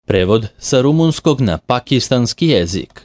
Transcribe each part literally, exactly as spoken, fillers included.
Prevod sa rumunskog na pakistanski jezik.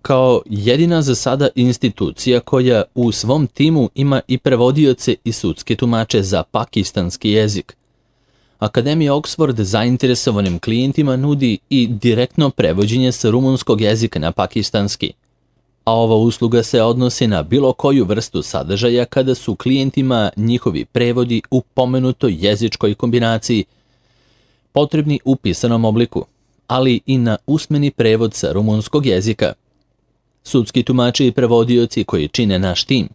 Kao jedina za sada institucija koja u svom timu ima i prevodioce i sudske tumače za pakistanski jezik, Akademija Oxford zainteresovanim klijentima nudi i direktno prevođenje sa rumunskog jezika na pakistanski, a ova usluga se odnosi na bilo koju vrstu sadržaja kada su klijentima njihovi prevodi u pomenutoj jezičkoj kombinaciji potrebni u pisanom obliku, ali i na usmeni prevod sa rumunskog jezika. Sudski tumači i prevodioci koji čine naš tim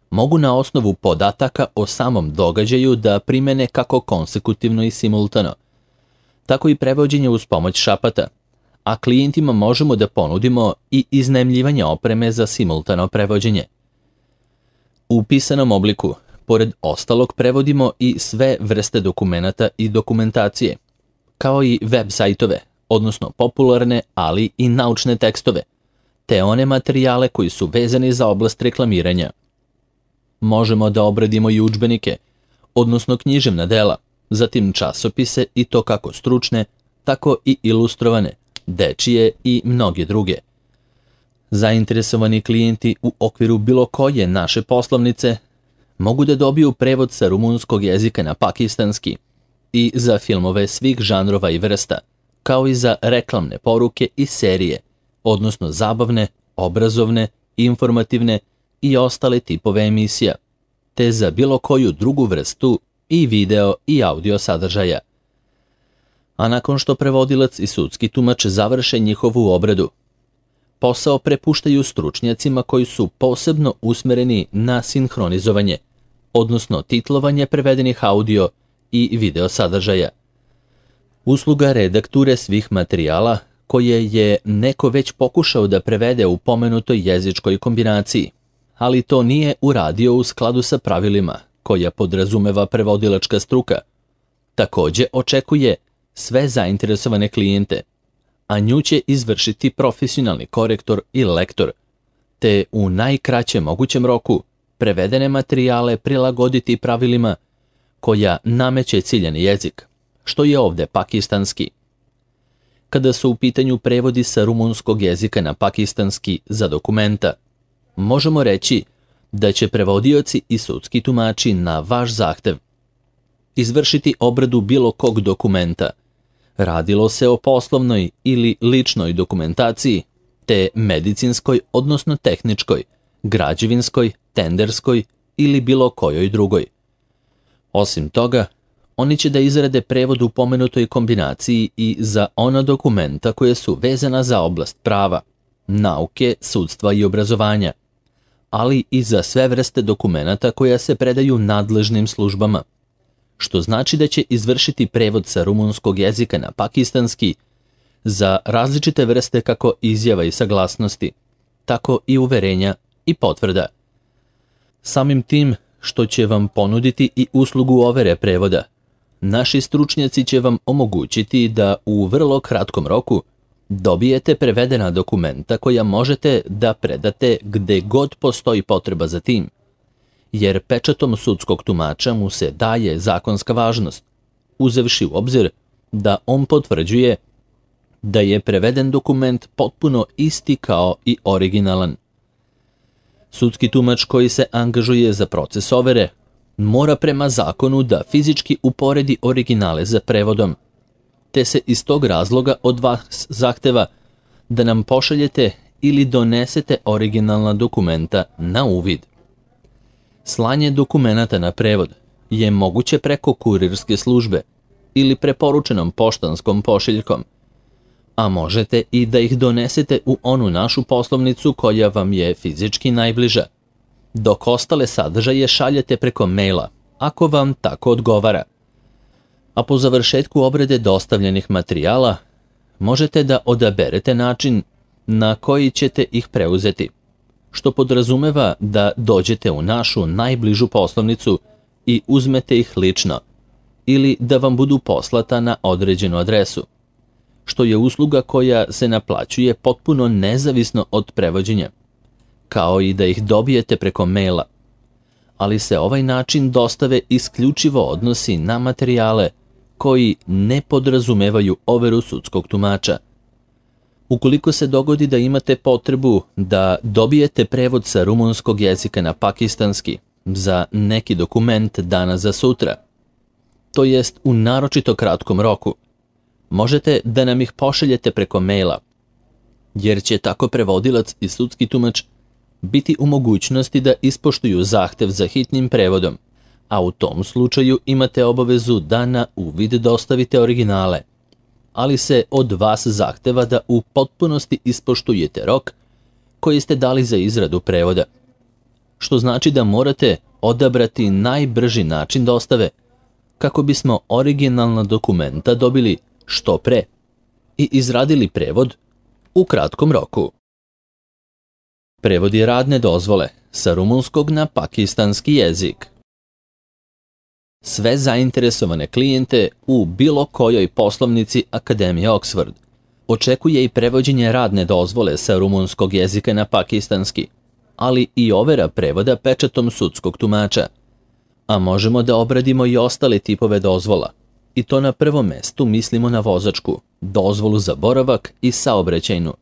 mogu na osnovu podataka o samom događaju da primene kako konsekutivno i simultano, tako i prevođenje uz pomoć šapata, a klijentima možemo da ponudimo i iznajmljivanje opreme za simultano prevođenje. U pisanom obliku, pored ostalog, prevodimo i sve vrste dokumenata i dokumentacije, kao i web sajtove, odnosno popularne, ali i naučne tekstove, te one materijale koji su vezani za oblast reklamiranja. Možemo da obradimo i udžbenike, odnosno književna dela, zatim časopise i to kako stručne, tako i ilustrovane, dečije i mnoge druge. Zainteresovani klijenti u okviru bilo koje naše poslovnice mogu da dobiju prevod sa rumunskog jezika na pakistanski i za filmove svih žanrova i vrsta, kao i za reklamne poruke i serije, odnosno zabavne, obrazovne, informativne i ostale tipove emisija, te za bilo koju drugu vrstu i video i audio sadržaja. A nakon što prevodilac i sudski tumač završe njihovu obradu, posao prepuštaju stručnjacima koji su posebno usmereni na sinhronizovanje, odnosno titlovanje prevedenih audio i video sadržaja. Usluga redakture svih materijala koje je neko već pokušao da prevede u pomenutoj jezičkoj kombinaciji, ali to nije uradio u skladu sa pravilima koja podrazumeva prevodilačka struka, takođe očekuje sve zainteresovane klijente, a nju će izvršiti profesionalni korektor i lektor, te u najkraćem mogućem roku prevedene materijale prilagoditi pravilima koja nameće ciljani jezik, što je ovde pakistanski. Kada su u pitanju prevodi sa rumunskog jezika na pakistanski za dokumenta, možemo reći da će prevodioci i sudski tumači na vaš zahtev izvršiti obradu bilo kog dokumenta, radilo se o poslovnoj ili ličnoj dokumentaciji, te medicinskoj, odnosno tehničkoj, građevinskoj, tenderskoj ili bilo kojoj drugoj. Osim toga, oni će da izrade prevod u pomenutoj kombinaciji i za ona dokumenta koje su vezana za oblast prava, nauke, sudstva i obrazovanja, ali i za sve vrste dokumenata koja se predaju nadležnim službama, što znači da će izvršiti prevod sa rumunskog jezika na pakistanski za različite vrste kako izjava i saglasnosti, tako i uverenja i potvrda. Samim tim što će vam ponuditi i uslugu overe prevoda, naši stručnjaci će vam omogućiti da u vrlo kratkom roku dobijete prevedena dokumenta koja možete da predate gde god postoji potreba za tim, jer pečatom sudskog tumača mu se daje zakonska važnost, uzevši u obzir da on potvrđuje da je preveden dokument potpuno isti kao i originalan. Sudski tumač koji se angažuje za proces overe mora prema zakonu da fizički uporedi originale za prevodom, te se iz tog razloga od vas zahteva da nam pošaljete ili donesete originalna dokumenta na uvid. Slanje dokumenata na prevod je moguće preko kurirske službe ili preporučenom poštanskom pošiljkom, a možete i da ih donesete u onu našu poslovnicu koja vam je fizički najbliža, dok ostale sadržaje šaljete preko maila, ako vam tako odgovara. A po završetku obrade dostavljenih materijala, možete da odaberete način na koji ćete ih preuzeti, što podrazumeva da dođete u našu najbližu poslovnicu i uzmete ih lično, ili da vam budu poslata na određenu adresu, što je usluga koja se naplaćuje potpuno nezavisno od prevođenja, kao i da ih dobijete preko maila, ali se ovaj način dostave isključivo odnosi na materijale koji ne podrazumevaju overu sudskog tumača. Ukoliko se dogodi da imate potrebu da dobijete prevod sa rumunskog jezika na pakistanski za neki dokument danas za sutra, to jest u naročito kratkom roku, možete da nam ih pošaljete preko maila, jer će tako prevodilac i sudski tumač biti u mogućnosti da ispoštuju zahtev za hitnim prevodom, a u tom slučaju imate obavezu da na uvid dostavite originale, ali se od vas zahteva da u potpunosti ispoštujete rok koji ste dali za izradu prevoda, što znači da morate odabrati najbrži način dostave kako bismo originalna dokumenta dobili što pre i izradili prevod u kratkom roku. Prevod je radne dozvole sa rumunskog na pakistanski jezik. Sve zainteresovane klijente u bilo kojoj poslovnici Akademije Oxford očekuje i prevođenje radne dozvole sa rumunskog jezika na pakistanski, ali i overa prevoda pečatom sudskog tumača. A možemo da obradimo i ostale tipove dozvola, i to na prvom mestu mislimo na vozačku, dozvolu za boravak i saobraćajnu,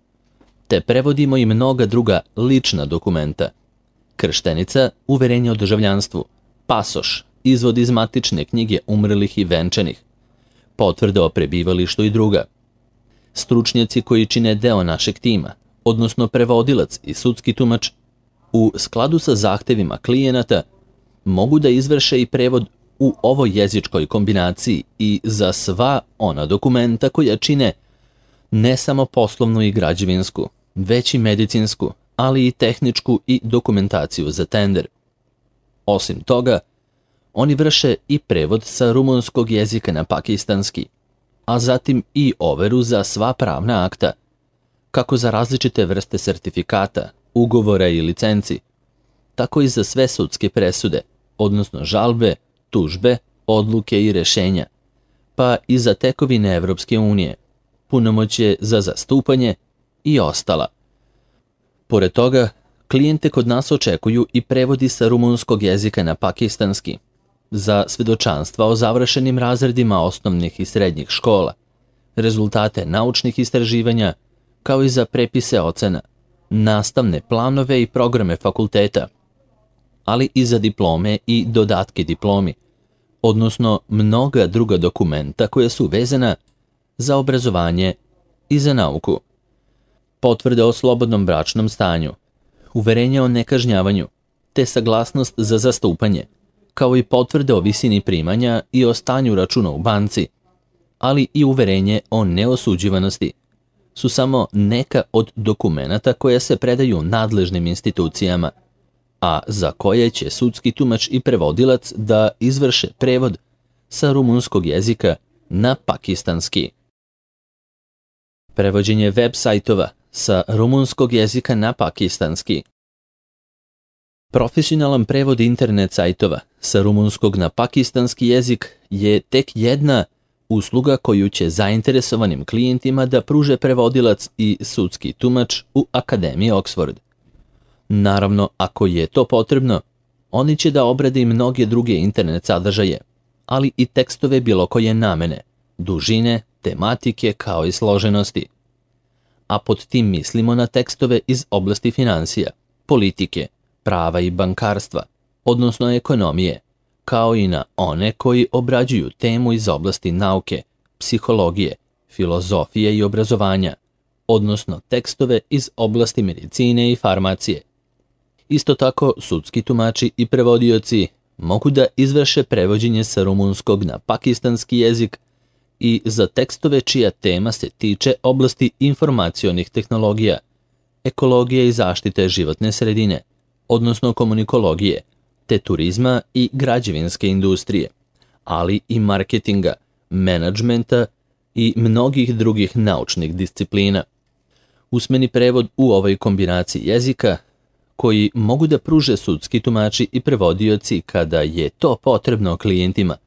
te prevodimo i mnoga druga lična dokumenta: krštenica, uverenje o državljanstvu, pasoš, izvod iz matične knjige umrlih i venčanih, potvrde o prebivalištu i druga. Stručnjaci koji čine deo našeg tima, odnosno prevodilac i sudski tumač, u skladu sa zahtevima klijenata, mogu da izvrše i prevod u ovoj jezičkoj kombinaciji i za sva ona dokumenta koja čine ne samo poslovnu i građevinsku, već i medicinsku, ali i tehničku i dokumentaciju za tender. Osim toga, oni vrše i prevod sa rumunskog jezika na pakistanski, a zatim i overu za sva pravna akta, kako za različite vrste sertifikata, ugovora i licenci, tako i za sve sudske presude, odnosno žalbe, tužbe, odluke i rešenja, pa i za tekovine Evropske unije, punomoćje za zastupanje i ostala. Pored toga, klijente kod nas očekuju i prevodi sa rumunskog jezika na pakistanski za svedočanstva o završenim razredima osnovnih i srednjih škola, rezultate naučnih istraživanja, kao i za prepise ocena, nastavne planove i programe fakulteta, ali i za diplome i dodatke diplomi, odnosno mnoga druga dokumenta koja su vezana za obrazovanje i za nauku. Potvrde o slobodnom bračnom stanju, uverenje o nekažnjavanju, te saglasnost za zastupanje, kao i potvrde o visini primanja i o stanju računa u banci, ali i uverenje o neosuđivanosti, su samo neka od dokumenata koja se predaju nadležnim institucijama, a za koje će sudski tumač i prevodilac da izvrše prevod sa rumunskog jezika na pakistanski. Prevođenje web sajtova sa rumunskog jezika na pakistanski. Profesionalan prevod internet sajtova sa rumunskog na pakistanski jezik je tek jedna usluga koju će zainteresovanim klijentima da pruže prevodilac i sudski tumač u Akademiji Oxford. Naravno, ako je to potrebno, oni će da obrade i mnoge druge internet sadržaje, ali i tekstove bilo koje namene, dužine, tematike kao i složenosti. A pod tim mislimo na tekstove iz oblasti finansija, politike, prava i bankarstva, odnosno ekonomije, kao i na one koji obrađuju temu iz oblasti nauke, psihologije, filozofije i obrazovanja, odnosno tekstove iz oblasti medicine i farmacije. Isto tako, sudski tumači i prevodioci mogu da izvrše prevođenje sa rumunskog na pakistanski jezik i za tekstove čija tema se tiče oblasti informacionih tehnologija, ekologije i zaštite životne sredine, odnosno komunikologije, te turizma i građevinske industrije, ali i marketinga, menadžmenta i mnogih drugih naučnih disciplina. Usmeni prevod u ovoj kombinaciji jezika, koji mogu da pruže sudski tumači i prevodioci kada je to potrebno klijentima,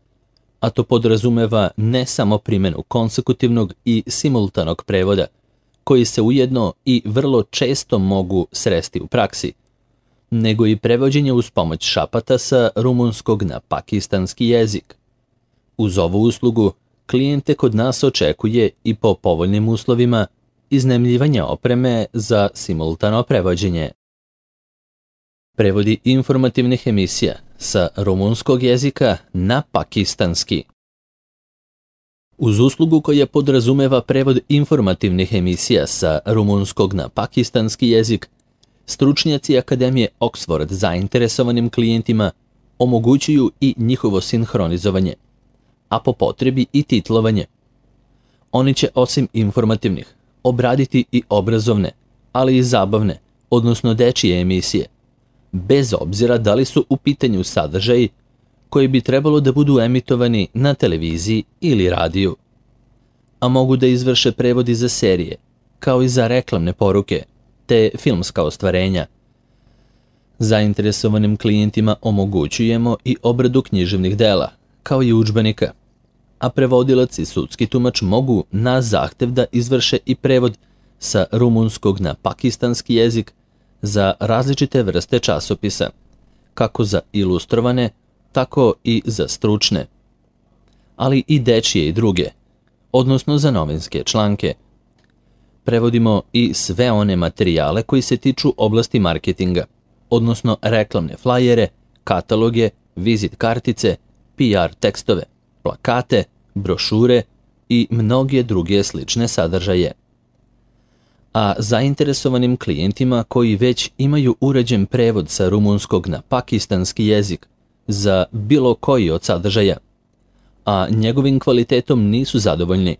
a to podrazumeva ne samo primjenu konsekutivnog i simultanog prevoda, koji se ujedno i vrlo često mogu sresti u praksi, nego i prevođenje uz pomoć šapata sa rumunskog na pakistanski jezik. Uz ovu uslugu klijente kod nas očekuje i po povoljnim uslovima iznajmljivanje opreme za simultano prevođenje. Prevodi informativnih emisija sa rumunskog jezika na pakistanski. Uz uslugu koja podrazumeva prevod informativnih emisija sa rumunskog na pakistanski jezik, stručnjaci Akademije Oxford zainteresovanim klijentima omogućuju i njihovo sinhronizovanje, a po potrebi i titlovanje. Oni će osim informativnih obraditi i obrazovne, ali i zabavne, odnosno dečije emisije, bez obzira da li su u pitanju sadržaji koji bi trebalo da budu emitovani na televiziji ili radiju. A mogu da izvrše prevodi za serije, kao i za reklamne poruke, te filmska ostvarenja. Zainteresovanim klijentima omogućujemo i obradu književnih dela, kao i udžbenika, a prevodilac i sudski tumač mogu na zahtev da izvrše i prevod sa rumunskog na pakistanski jezik za različite vrste časopisa, kako za ilustrovane, tako i za stručne, ali i dečije i druge, odnosno za novinske članke. Prevodimo i sve one materijale koji se tiču oblasti marketinga, odnosno reklamne flajere, kataloge, vizit kartice, P R tekstove, plakate, brošure i mnoge druge slične sadržaje. A zainteresovanim klijentima koji već imaju uređen prevod sa rumunskog na pakistanski jezik za bilo koji od sadržaja, a njegovim kvalitetom nisu zadovoljni,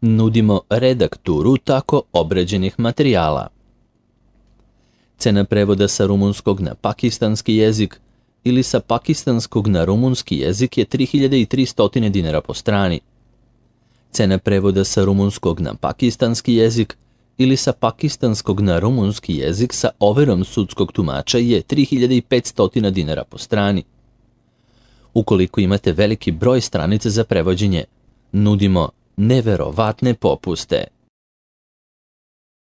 nudimo redakturu tako obrađenih materijala. Cena prevoda sa rumunskog na pakistanski jezik ili sa pakistanskog na rumunski jezik je tri hiljade tristo dinara po strani. Cena prevoda sa rumunskog na pakistanski jezik ili sa pakistanskog na rumunski jezik sa overom sudskog tumača je tri hiljade petsto dinara po strani. Ukoliko imate veliki broj stranica za prevođenje, nudimo neverovatne popuste.